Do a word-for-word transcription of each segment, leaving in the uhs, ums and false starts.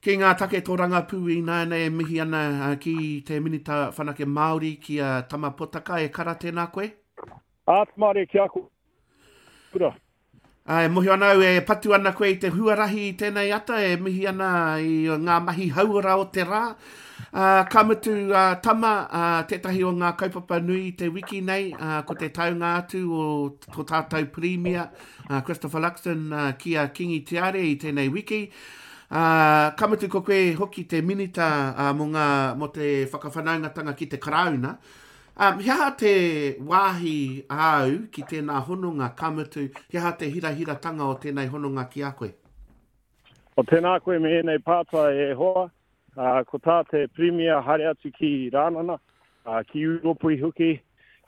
Ki ngā take tōrangapū ināianei e mihi ana ki te Minita Whanake Māori ki a Tama Potaka. E kara, tēnā koe? Āta mārie ki a koe. Kura. E mohi ana au e patu ana koe i te huarahi i tēnei ata, e mihi ana i ngā mahi hauora o te rā. Uh, ka mutu uh, Tama, uh, tētahi o ngā kaupapa nui i te wiki nei, uh, ko te taunga atu o tō tātou Pirimia, uh, Christopher Luxon, uh, ki a Kingi Tiare i tēnei wiki. Uh, ka mutu ko koe hoki te minita uh, mō, ngā, mō te whakawhanaungatanga ki te Karauna. Um, he aha te wāhi āu ki tēnā hononga, ka mutu, he aha te hirahiratanga o tēnei hononga ki a koe? O tēnā koe me ēnei pātai e hoa, uh, ko tā te Pirimia haere atu ki Rānana, uh, ki Ūropi hoki,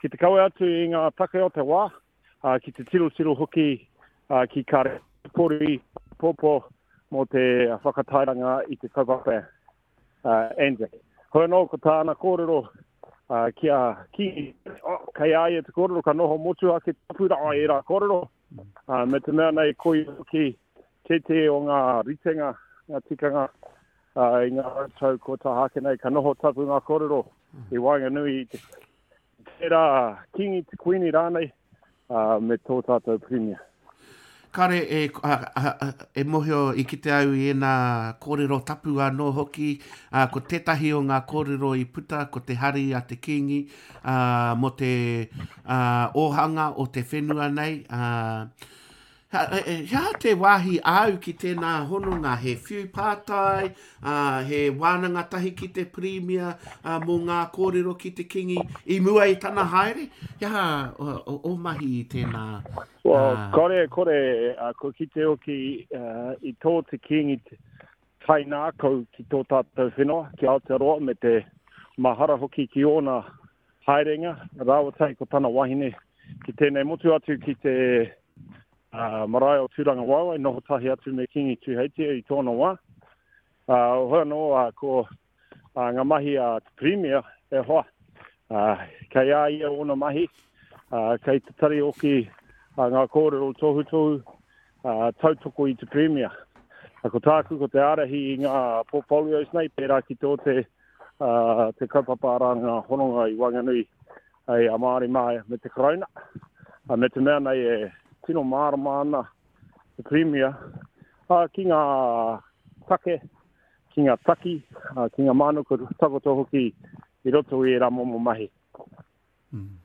ki te kawe atu i ngā take o te wā, uh, ki te tirotiro hoki uh, ki Karepori Popo mō te whakatairanga i te kaupapa uh, Anzac. Hoi anō ko tāna kōrero uh, ki a ki, oh, kei a ia te kōrero, ka noho motuhake tapu rā e rā kōrero, uh, me te mea nei koi hoki tētehi o ngā ritenga, ngā tikanga uh, i ngā rautau ko tā hake nei, ka noho tapu ngā kōrero i waenganui i te tērā Kingi te Kuini rānei uh, me tō tātou Pirimia. Kare e, a, a, a, e mohio i kite au i ēnā kōrero tapu anō hoki, a, ko tētahi o ngā kōrero i puta, ko te hari a te Kingi, a, mō te a, ōhanga o te whenua nei. A, he aha te wāhi āu ki tēnā hononga, he whiu pātai, a, he wānanga tahi ki te Pirimia, a, mō ngā kōrero ki te Kingi i mua i tana haere? He aha o, o, o mahi i tēnā? Well, kore, kore, uh, ko kite hoki uh, i tō te Kingi kainākau ki tō tātou whenua, ki Aotearoa, me te mahara hoki ki ōna haerenga, rāua tahi ko tana wahine ki tēnei motu atu ki te uh, marae o Tūranga Waewae, noho tahi atu me Kingi Tūheitia i tōna wā. Uh, hoi anō, uh, ko uh, ngā mahi a te Pirimia e hoa, uh, kei a ia ōna mahi, uh, kei te tari hoki uh, ngā kōrero tohutohu, uh, tautoko i te Pirimia. Uh, ko tāku ko te ārahi i ngā portfolios nei, pērā ki tō te, uh, te kaupapa arā ngā hononga i waenganui ai a Māori mā me te Karauna. Uh, me te mea nei e tino mārama ana te Pirimia, uh, ki ngā take, ki ngā taki, uh, ki ngā mānuka takoto hoki i roto i ērā momo mahi. Mm.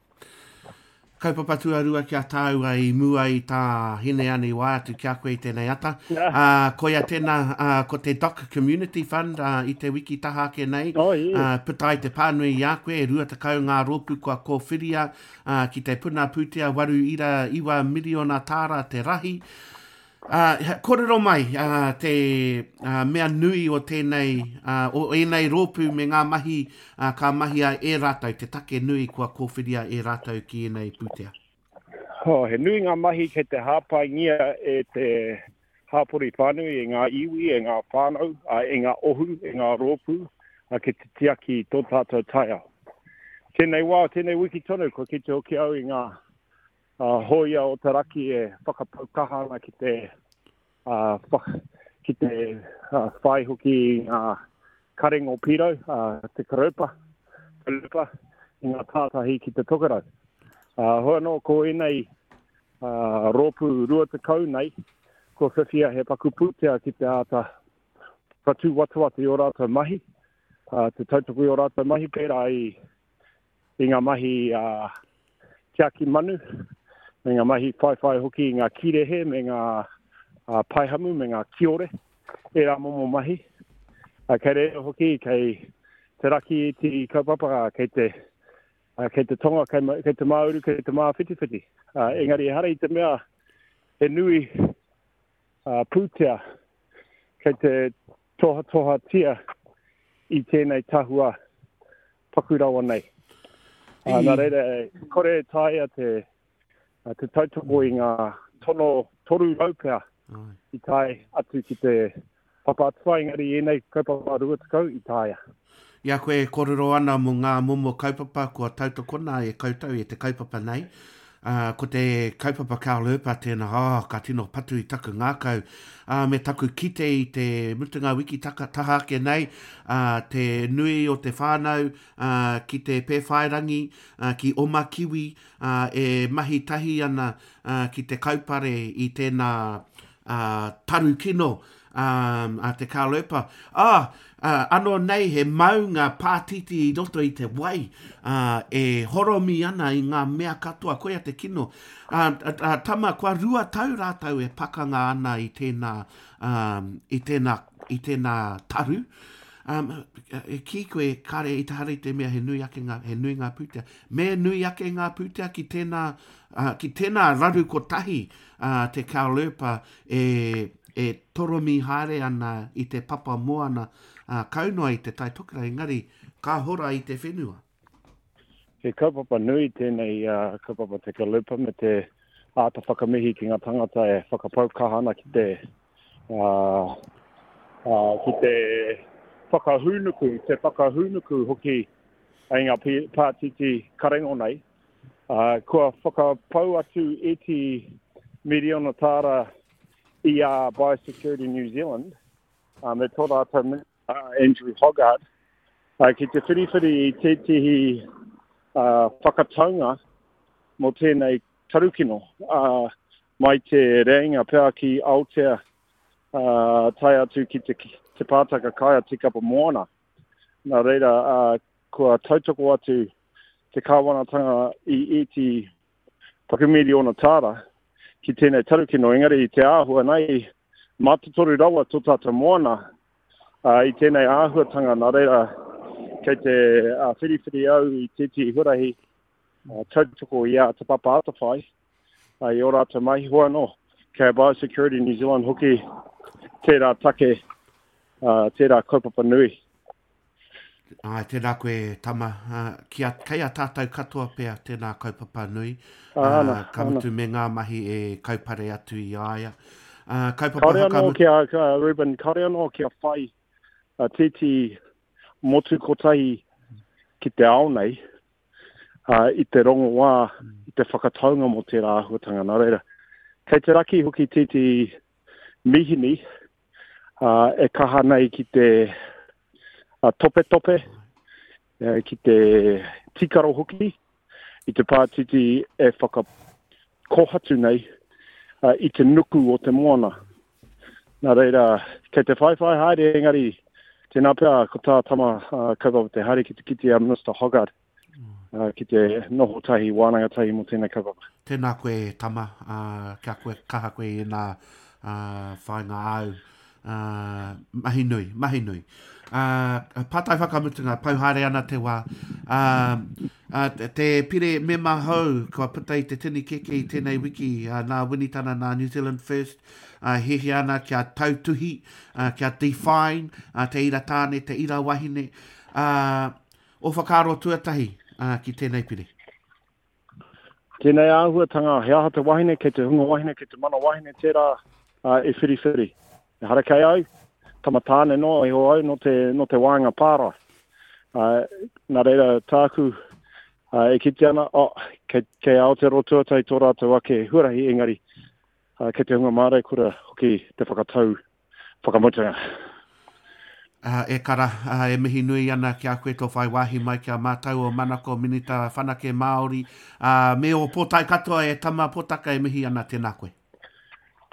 Kaupapa tuarua ki a tāua i mua i tā Hineani wā atu ki a koe i tēnei ata. Uh, koia tēnā, uh, ko te Doc Community Fund uh, i te wiki taha ake nei. Oh, yeah. Uh, puta ai te pānui i a koe, rua tekau ngā rōpū kua kōwhiria uh, ki te puna pūtea waru ira iwa miriona tāra te rahi. Uh, kōrero mai uh, te uh, mea nui o tēnei, uh, o ēnei rōpū me ngā mahi uh, ka mahia e rātou, te take nui kua kōwhiria e rātou ki ēnei pūtea. Oh, he nui ngā mahi kei te hāpaingia e te hāpori whānui, e ngā iwi, e ngā whānau, uh, e ngā ohu, e ngā rōpū, uh, ki te tiaki tō tātou taiao. Tēnei wā, tēnei wiki tonu, kua kite hoki au i ngā uh, hōia o te raki e whakapau kaha ana ki te, uh, wha, ki te uh, whai hoki i ngā karengo pīrau, uh, te karopa, karopa, i ngā tātahi ki te tokerau. Uh, hoi anō, ko ēnei uh, rōpū rua tekau nei, kua whiwhia he paku pūtea ki te āta whakatūwatawata i ō rātou mahi, uh, te tautoko i ō rātou mahi, pērā i, i ngā mahi uh, tiaki manu, me ngā mahi whaiwhai hoki i ngā kirehe, me ngā uh, paihamu, me ngā kiore, ērā momo mahi. Uh, kei reira hoki, kei te raki i te kaupapa, kei te, uh, kei te tonga, kei, kei te māuru, kei te māwhitiwhiti. Uh, engari ehara i te mea he nui uh, pūtea kei te tohatohatia i tēnei tahua paku rawa nei. Uh, nā reira, kore e taea te, te tautoko i ngā tono toru rau pea i tae atu ki te papa atawhai, engari ēnei kaupapa rua tekau i taea. I a koe e kōrero ana mō ngā momo kaupapa kua tautokona e koutou e te kaupapa nei. Uh, ko te kaupapa Caulerpa tēnā, oh, ka tino patu i taku ngākau. Uh, me taku kite i te mutunga wiki taka, taha ake nei, uh, te nui o te whānau uh, ki te Pēwhairangi, uh, ki Omakiwi, uh, e mahi tahi ana uh, ki te kaupare i tēnā uh, taru kino um, a te Caulerpa. Ah, uh, anō nei he maunga pātiti i roto i te wai uh, e horomi ana i ngā mea katoa, koia te kino. Uh, uh, tama, kua rua tau rātou e pakanga ana i tēnā, um, i tēnā, i tēnā taru. Um, e kī koe, kare i te hara i te mea he nui ake ngā, he nui ngā pūtea. Me nui ake ngā pūtea ki tēnā, uh, ki tēnā raru kotahi uh, te Caulerpa e, e toromi haere ana i te papa moana uh, kau noa i te Tai Tokerau, engari ka hora i te whenua. He kaupapa nui tēnei uh, kaupapa te Caulerpa me te āta whakamihi ki ngā tangata e whakapau kaha ana ki te, uh, uh, ki te whakahūnuku, te whakahūnuku hoki ai ngā pātiti karengo nei. Uh, kua whakapau atu eti miriona tāra i a Biosecurity New Zealand, um, me tō rātou uh, Andrew Hoggard, uh, ki te whiriwhiri i tētehi uh, whakataunga mō tēnei tarukino, uh, mai te reinga pea ki Aotea, uh, tae atu ki te, te pātaka kai a Tīkapa Moana. Nā reira, uh, kua tautoko atu te kāwanatanga i eti pakumiriona tāra ki tēnei tarukino, engari i te āhua nei, mātotoru rawa tō tātou moana uh, i tēnei āhuatanga, nā reira, kei te uh, whiriwhiri au i tētehi huarahi uh, tautoko i a Te Papa Atawhai, uh, i ō rātou mahi hoa anō, kei a Biosecurity New Zealand hoki tērā take, uh, tērā kaupapa nui. Ai, tēnā koe, tama. Uh, ki a, kei a tātou katoa pea tēnā kaupapa nui. Uh, ana, ka mutu me ngā mahi e kaupare atu i a ia. Uh, kaupapa Kāore anō kia, uh, Ruben, kāore anō kia whai uh, tētehi motu kotahi ki te ao nei, uh, i te rongoā, i te whakataunga mō tērā āhuatanga. Nā reira, kei te raki hoki tētehi mihini uh, e kaha nei ki te uh, topetope, uh, ki te tikaro hoki, i te pātiti e whakakohatu nei uh, i te nuku o te moana. Nā reira, kei te whaiwhai haere engari, tēnā pea ko tā tama uh, kaupapa te haere ki te kite a Minister Hoggard, uh, ki te noho tahi, wānanga tahi mō tēnei kaupapa. Tēnā koe, tama, uh, kia koe, kaha koe i nā uh, whainga au. Uh, mahi nui, mahi nui. Uh, pātai whakamutunga, pau haere ana te wā. Uh, uh, te pire mema hou, kua puta i te tini keke i tēnei wiki, uh, nā Winitana, nā New Zealand First, uh, hiahia ana kia tautuhi, uh, kia define, uh, te ira tāne, te ira wahine. Uh, o whakaaro tuatahi uh, ki tēnei pire. Tēnei āhuatanga, he aha te wahine, kei te hunga wahine, kei te mana wahine tērā uh, e whiriwhiri. Ehara kei au, tama tāne no, iho au, no te, no te wānga pārae. Uh, nā reira tāku uh, e kite ana, oh, kei, kei Aotearoa tuatahi tō rātou ake huarahi, engari uh, kei te hunga māreikura hoki te whakatau whakamutunga. Uh, e kara, uh, e mihi nui ana ki a koe tō whai wāhi mai ki a mātou o Manako Minita Whanake Māori, uh, me o pōtae katoa e tama potaka e mihi ana, tēnā koe.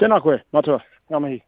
Tēnā koe, matua, ngā mihi.